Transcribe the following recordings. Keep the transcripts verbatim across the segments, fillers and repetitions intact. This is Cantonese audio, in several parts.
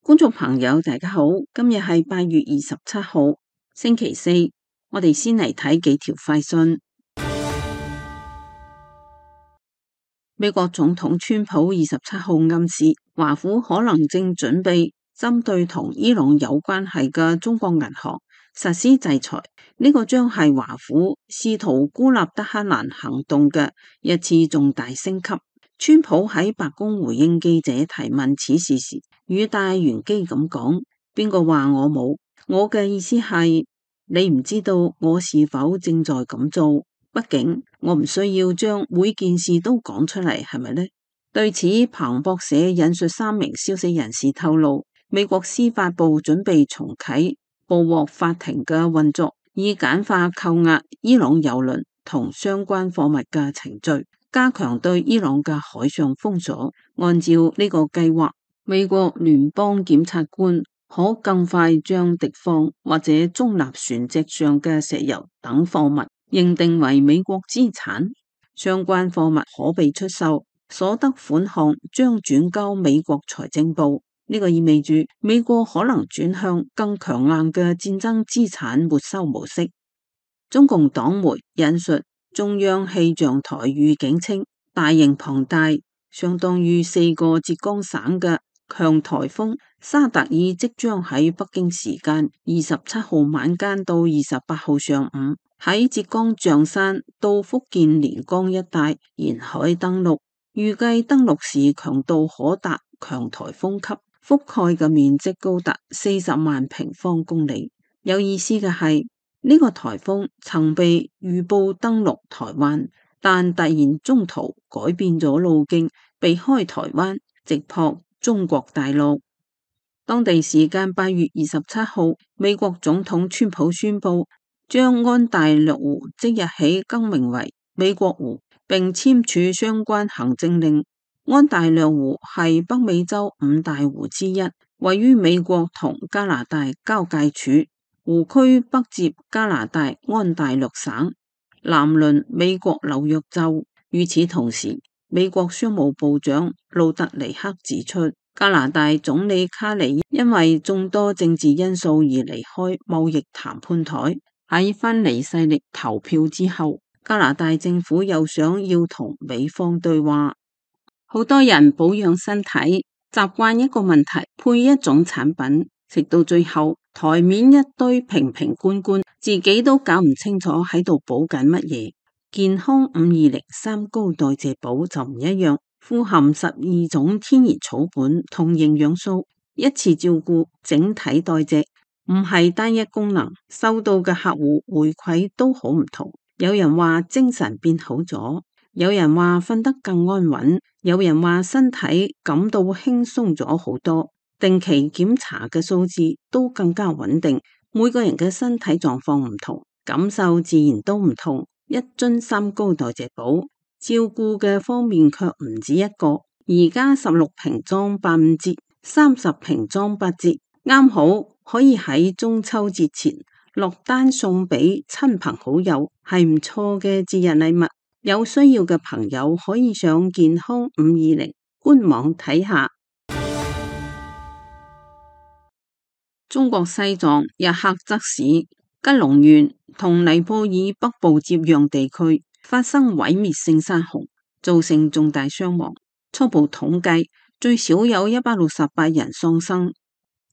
觀眾朋友，大家好，今日係八月二十七號，星期四，我哋先嚟睇幾條快訊。美國總統川普二十七號暗示，華府可能正準備針對同伊朗有關係嘅中國銀行實施制裁，呢、這個將係華府試圖孤立德黑蘭行動嘅一次重大升級。川普喺白宮回應記者提問此事時，語帶玄機咁講：邊個話我冇？我嘅意思係，你唔知道我是否正在咁做。畢竟我唔需要將每件事都講出嚟，係咪呢？對此，彭博社引述三名消息人士透露，美國司法部準備重啟捕獲法庭嘅運作，以簡化扣押伊朗油輪同相關貨物嘅程序，加強對伊朗嘅海上封鎖。按照呢個計劃，美國聯邦檢察官可更快將敵方或者中立船隻上嘅石油等貨物認定為美國資產，相關貨物可被出售，所得款項將轉交美國財政部。呢個意味住美國可能轉向更強硬嘅戰爭資產沒收模式。中共黨媒引述中央氣象台預警稱，大型龐大，相當於四個浙江省嘅強颱風沙特爾即將喺北京時間二十七號晚間到二十八號上午喺浙江象山到福建連江一帶沿海登陸，預計登陸時強度可達強颱風級，覆蓋嘅面積高達四十萬平方公里。有意思嘅係，呢個颱風曾被預報登陸台灣，但突然中途改變咗路徑，避開台灣，直撲中國大陸。當地時間八月二十七號，美國總統川普宣布將安大略湖即日起更名為美國湖，並簽署相關行政令。安大略湖係北美洲五大湖之一，位於美國同加拿大交界處，湖區北接加拿大安大略省，南鄰美國紐約州。與此同時，美國商務部長路特尼克指出，加拿大總理卡尼因為眾多政治因素而離開貿易談判台。喺分離勢力投票之後，加拿大政府又想要同美方對話。好多人保養身體，習慣一個問題配一種產品，食到最後台面一堆瓶瓶罐罐，自己都搞唔清楚喺度補緊乜嘢。健康五二零三高代謝寶就唔一樣，富含十二種天然草本同營養素，一次照顧整體代謝，唔係單一功能。收到嘅客戶回饋都好唔同，有人話精神變好咗，有人話瞓得更安穩，有人話身體感到輕鬆咗好多。定期檢查嘅數字都更加穩定。每個人嘅身體狀況唔同，感受自然都唔同。一樽三高代謝寶，照顧嘅方面卻唔止一個。而家十六瓶裝八五折，三十瓶裝八折，啱好可以喺中秋節前落單送俾親朋好友，係唔錯嘅節日禮物。有需要嘅朋友可以上健康五二零官網睇下。中國西藏日喀則市、吉隆縣同尼泊爾北部接壤地區發生毀滅性山洪，造成重大傷亡。初步統計，最少有一百六十八人喪生，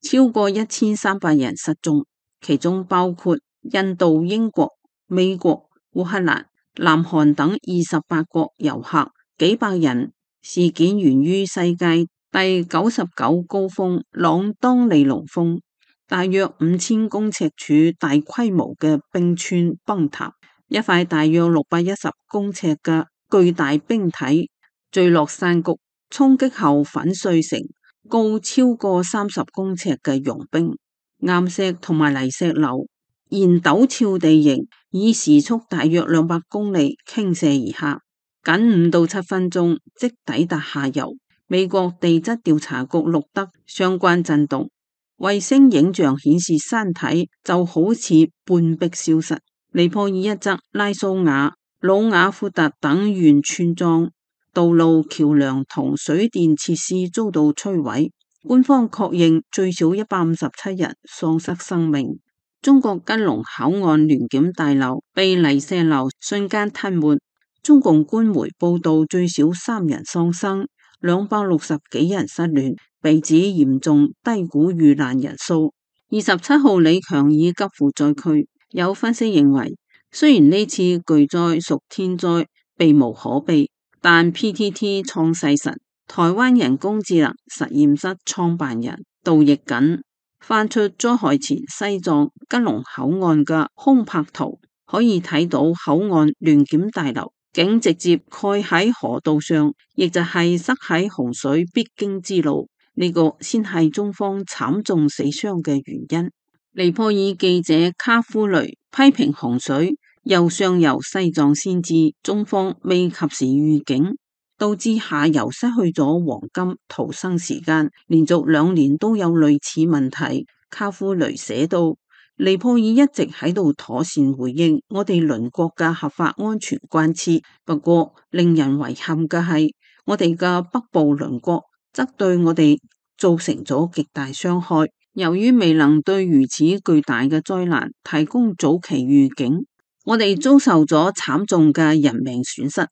超過一千三百人失蹤，其中包括印度、英國、美國、烏克蘭、南韓等二十八國遊客幾百人。事件源於世界第九十九高峰朗當利龍峰，大約五千公尺處大規模嘅冰川崩塌，一塊大約六百一十公尺嘅巨大冰體墜落山谷，衝擊後粉碎成高超過三十公尺嘅融冰。岩石同埋泥石流沿陡峭地形以時速大約兩百公里傾瀉而下，僅五到七分鐘即抵達下游。美國地質調查局錄得相關震動，衛星影像顯示山體就好似半壁消失。尼泊爾一側拉蘇瓦、魯雅庫特等縣村莊道路、橋樑同水電設施遭到摧毀，官方確認最少一百五十七人喪失生命。中國吉隆口岸聯檢大樓被泥石流瞬間吞沒，中共官媒報道最少三人喪生，兩百六十幾人失聯，被指嚴重低估遇難人數。二十七號李強已急赴災區，有分析認為，雖然呢次巨災屬天災，避無可避，但 P T T 創世神、台灣人工智能實驗室創辦人杜奕瑾翻出災害前西藏吉隆口岸嘅空拍圖，可以睇到口岸聯檢大樓竟直接蓋喺河道上，亦就係塞喺洪水必經之路。呢、這個先係中方慘重死傷嘅原因。尼泊爾記者卡夫雷批評洪水由上游西藏先至，中方未及時預警，導致下游失去咗黃金逃生時間，連續兩年都有類似問題。卡夫雷寫道，尼泊爾一直喺度妥善回應我哋鄰國嘅合法安全關切，不過令人遺憾嘅係，我哋嘅北部鄰國則對我哋造成咗極大傷害。由於未能對如此巨大嘅災難提供早期預警，我哋遭受咗慘重嘅人命損失。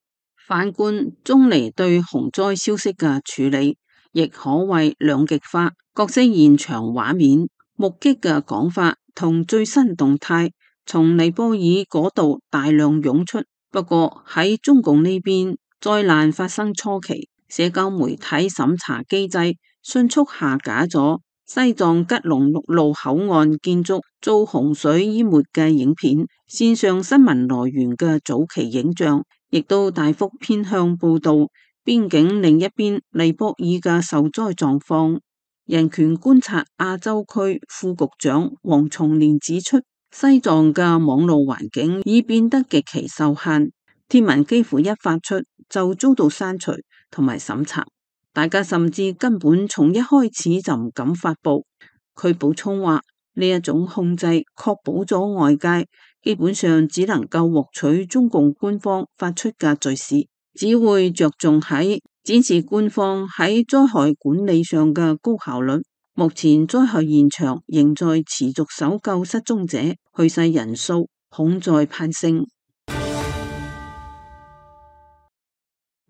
反觀中尼對洪災消息嘅處理，亦可謂兩極化。各式現場畫面、目擊嘅講法同最新動態，從尼泊爾嗰度大量湧出。不過喺中共呢邊，災難發生初期，社交媒體審查機制迅速下架咗西藏吉隆陸路口岸建築遭洪水淹沒嘅影片，線上新聞來源嘅早期影像，亦都大幅偏向報道邊境另一邊尼泊爾嘅受災狀況。人權觀察亞洲區副局長黃松年指出，西藏嘅網絡環境已變得極其受限，貼文幾乎一發出就遭到刪除同埋審查，大家甚至根本從一開始就唔敢發布。佢補充話，呢一種控制確保咗外界基本上只能夠獲取中共官方發出嘅敘事，只會着重喺展示官方喺災害管理上嘅高效率。目前災害現場仍在持續搜救失蹤者，去世人數恐在攀升。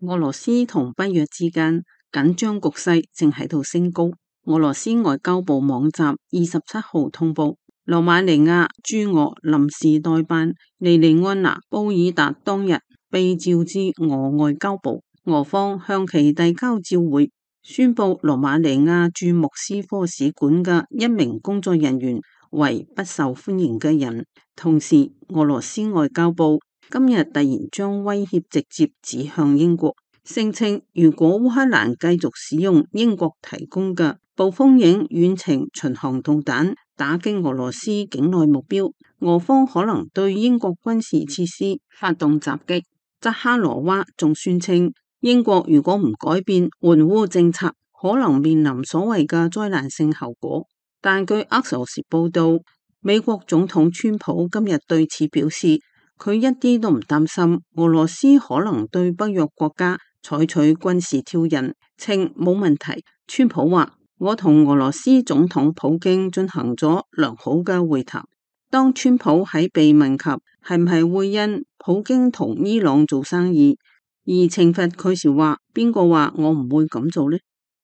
俄羅斯同北約之間緊張局勢正喺度升高。俄羅斯外交部網站二十七號通報，羅馬尼亞駐俄臨時代辦尼尼安娜·布爾達當日被召至俄外交部，俄方向其遞交照會，宣布羅馬尼亞駐莫斯科使館嘅一名工作人員為不受歡迎嘅人。同時，俄羅斯外交部今日突然將威脅直接指向英國，聲稱如果烏克蘭繼續使用英國提供嘅暴風影遠程巡航導彈打擊俄羅斯境內目標，俄方可能對英國軍事設施發動襲擊。扎哈羅娃仲宣稱，英國如果唔改變援烏政策，可能面臨所謂嘅災難性後果。但據阿索斯報道，美國總統川普今日對此表示，佢一啲都唔擔心俄羅斯可能對北約國家採取軍事挑釁，稱冇問題。川普話，我同俄羅斯總統普京進行咗良好嘅會談。當川普喺被問及係唔係會因普京同伊朗做生意而懲罰佢時，話邊個話我唔會咁做呢？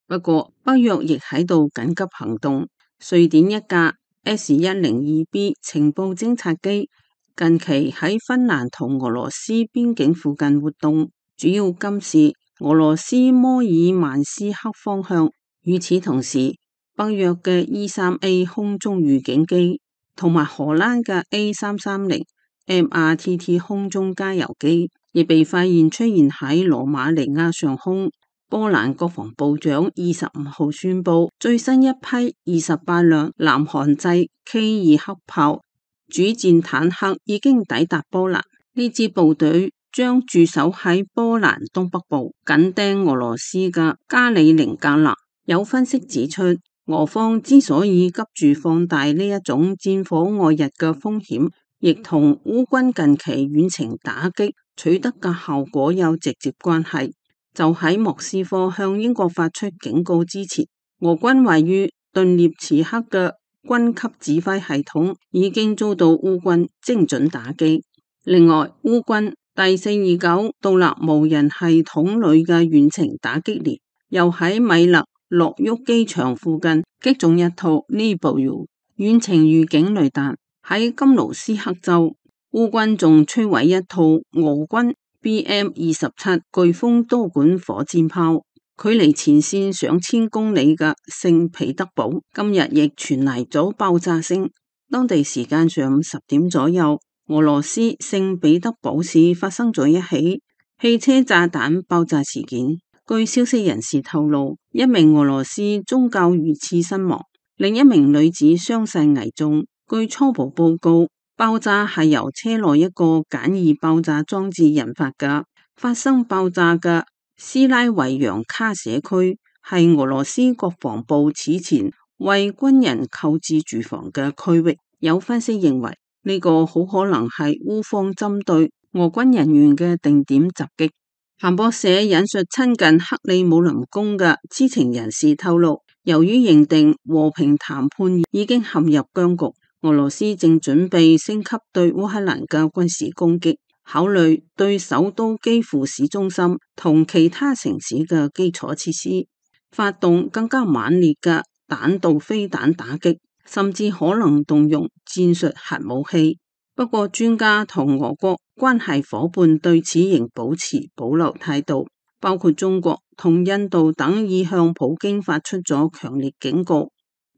不過北約亦喺度緊急行動。瑞典一架 S 一零二 B 情報偵察機近期喺芬蘭同俄羅斯邊境附近活動，主要監視俄羅斯摩爾曼斯克方向。與此同時，北約嘅 E 三 A 空中預警機同埋荷蘭嘅 A 三三零 M R T T 空中加油機亦被發現出現喺羅馬尼亞上空。波蘭國防部長二十五號宣布，最新一批二十八輛南韓製 K 二黑豹主戰坦克已經抵達波蘭。呢支部隊將駐守喺波蘭東北部，緊盯俄羅斯嘅加里寧格勒。有分析指出，俄方之所以急住放大呢一種戰火外溢嘅風險，亦同烏軍近期遠程打擊取得嘅效果有直接關係。就喺莫斯科向英國發出警告之前，俄軍位於頓涅茨克嘅軍級指揮系統已經遭到烏軍精準打擊。另外，烏軍第四二九獨立無人系統旅嘅遠程打擊連又喺米勒諾沃機場附近擊中一套尼布爾遠程預警雷達。喺金盧斯克州，烏軍仲摧毀一套俄軍 B M 二十七颶風多管火箭炮。距離前線上千公里嘅聖彼得堡今日亦傳嚟咗爆炸聲。當地時間上午十點左右，俄羅斯聖彼得堡市發生咗一起汽車炸彈爆炸事件。據消息人士透露，一名俄羅斯宗教遇刺身亡，另一名女子傷勢危重。據初步報告，爆炸係由車內一個簡易爆炸裝置引發嘅。發生爆炸嘅斯拉維揚卡社區係俄羅斯國防部此前為軍人購置住房嘅區域。有分析認為，呢個好可能係烏方針對俄軍人員嘅定點襲擊。彭博社引述親近克里姆林宮嘅知情人士透露，由於認定和平談判已經陷入僵局，俄羅斯正準備升級對烏克蘭嘅軍事攻擊，考慮對首都基輔市中心同其他城市嘅基礎設施發動更加猛烈嘅彈道飛彈打擊，甚至可能動用戰術核武器。不過，專家同俄國關係夥伴對此仍保持保留態度，包括中國同印度等已向普京發出咗強烈警告，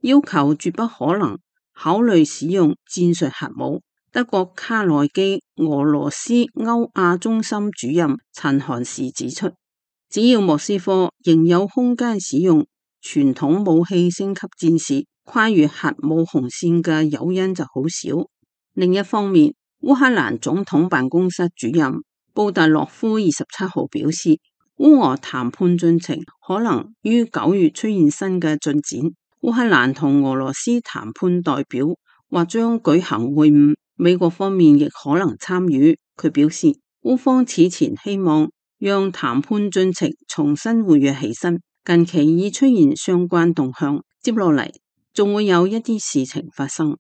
要求絕不可能考慮使用戰術核武。德國卡內基俄羅斯歐亞中心主任陳漢士指出，只要莫斯科仍有空間使用傳統武器升級戰事，跨越核武紅線嘅誘因就好少。另一方面，烏克蘭總統辦公室主任布達洛夫二十七號表示，烏俄談判進程可能於九月出現新嘅進展。烏克蘭同俄羅斯談判代表或將舉行會晤，美國方面亦可能參與。佢表示，烏方此前希望讓談判進程重新活躍起身，近期已出現相關動向，接落嚟仲會有一啲事情發生。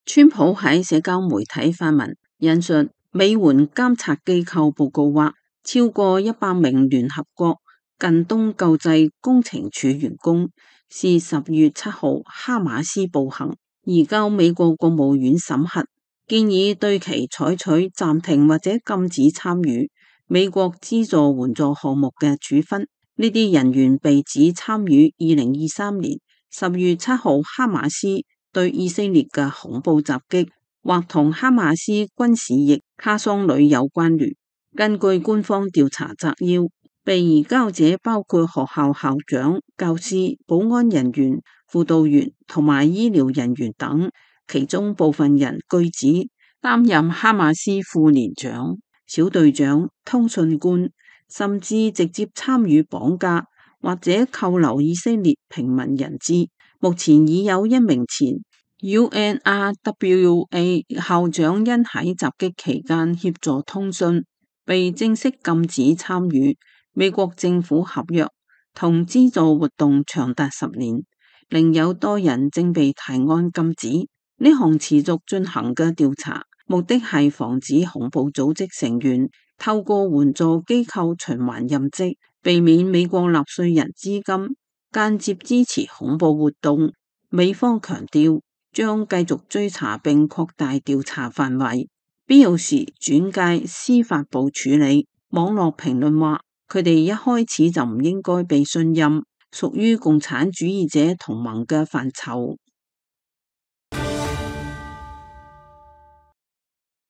川普喺社交媒體發文，引述美援監察機構報告話，超過一百名聯合國近東救濟工程處員工是十月七號哈馬斯暴行移交美國國務院審核，建議對其採取暫停或者禁止參與美國資助援助項目嘅處分。呢啲人員被指參與二零二三年十月七號哈馬斯對以色列嘅恐怖襲擊，或同哈馬斯軍事役卡桑旅有關聯。根據官方調查摘要，被移交者包括學校校長、教師、保安人員、輔導員同埋醫療人員等，其中部分人據指擔任哈馬斯副連長、小隊長、通訊官，甚至直接參與綁架或者扣留以色列平民人質。目前已有一名前 U N R W A 校長因喺襲擊期間協助通訊，被正式禁止參與美國政府合約同資助活動長達十年。另有多人正被提案禁止。呢項持續進行嘅調查，目的係防止恐怖組織成員透過援助機構循環任職，避免美國納稅人資金間接支持恐怖活動。美方強調將繼續追查並擴大調查範圍，必要時轉介司法部處理。網絡評論話，佢哋一開始就唔應該被信任，屬於共產主義者同盟嘅範疇。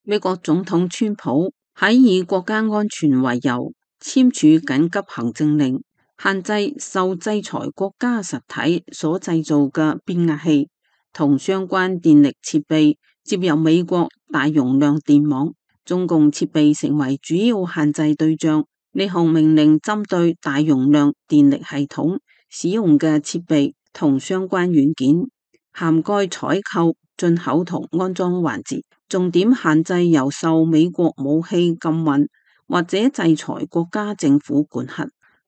美國總統川普喺以國家安全為由簽署緊急行政令，限制受制裁國家實體所製造嘅變壓器同相關電力設備接入美國大容量電網，中共設備成為主要限制對象。呢項命令針對大容量電力系統使用嘅設備同相關軟件，涵蓋採購、進口同安裝環節，重點限制由受美國武器禁運或者制裁國家政府管轄。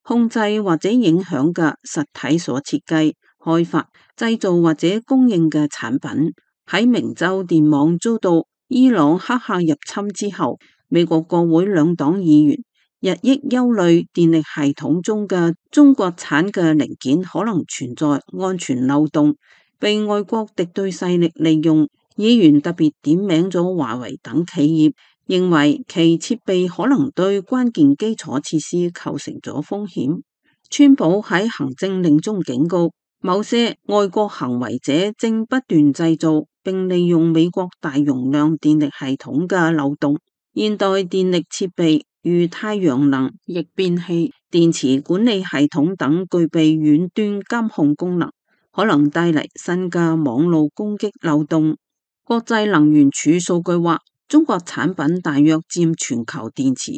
控制或者影響嘅實體所設計、開發、製造或者供應嘅產品。喺明州電網遭到伊朗黑客入侵之後，美國國會兩黨議員日益憂慮電力系統中嘅中國產嘅零件可能存在安全漏洞，被外國敵對勢力利用。議員特別點名咗華為等企業，認為其設備可能對關鍵基礎設施構成咗風險。川普喺行政令中警告，某些外國行為者正不斷製造並利用美國大容量電力系統嘅漏洞。現代電力設備如太陽能逆變器、電池管理系統等具備遠端監控功能，可能帶嚟新嘅網絡攻擊漏洞。國際能源署數據話，中國產品大約佔全球電池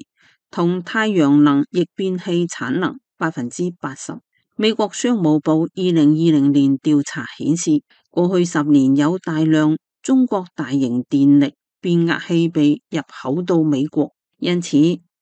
同太陽能逆變器產能百分之八十。美國商務部二零二零年調查顯示，過去十年有大量中國大型電力變壓器被入口到美國，因此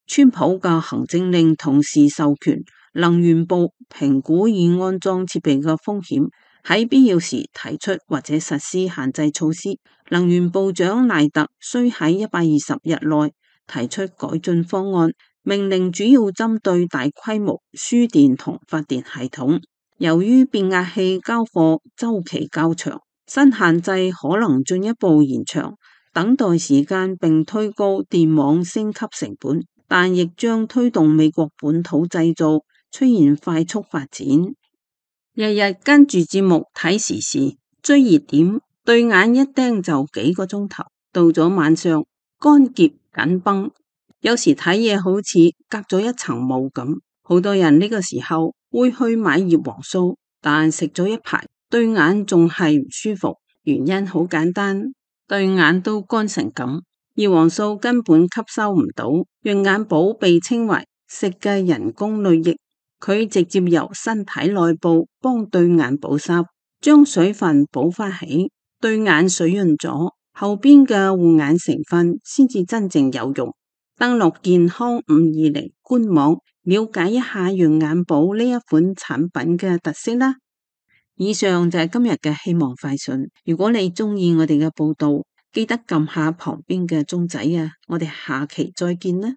川普嘅行政令同時授權能源部評估已安裝設備嘅風險，喺必要時提出或者實施限制措施。能源部長賴特需喺一百二十日內提出改進方案，命令主要針對大規模輸電同發電系統。由於變壓器交貨週期較長，新限制可能進一步延長等待時間並推高電網升級成本，但亦將推動美國本土製造出現快速發展。日日跟住節目睇時事追熱點，對眼一盯就幾個鐘頭，到咗晚上乾澀緊繃，有時睇嘢好似隔咗一層霧咁。好多人呢個時候會去買葉黃素，但食咗一排對眼仲係唔舒服，原因好簡單，對眼都乾成咁，葉黃素根本吸收唔到。潤眼寶被稱為食嘅人工淚液，佢直接由身體內部幫對眼保濕，將水分補翻起，對眼水潤咗，後邊嘅護眼成分先至真正有用。登錄健康五二零官網，了解一下潤眼寶呢一款產品嘅特色啦。以上就係今日嘅希望快訊。如果你中意我哋嘅報道，記得撳下旁邊嘅鐘仔啊！我哋下期再見啦。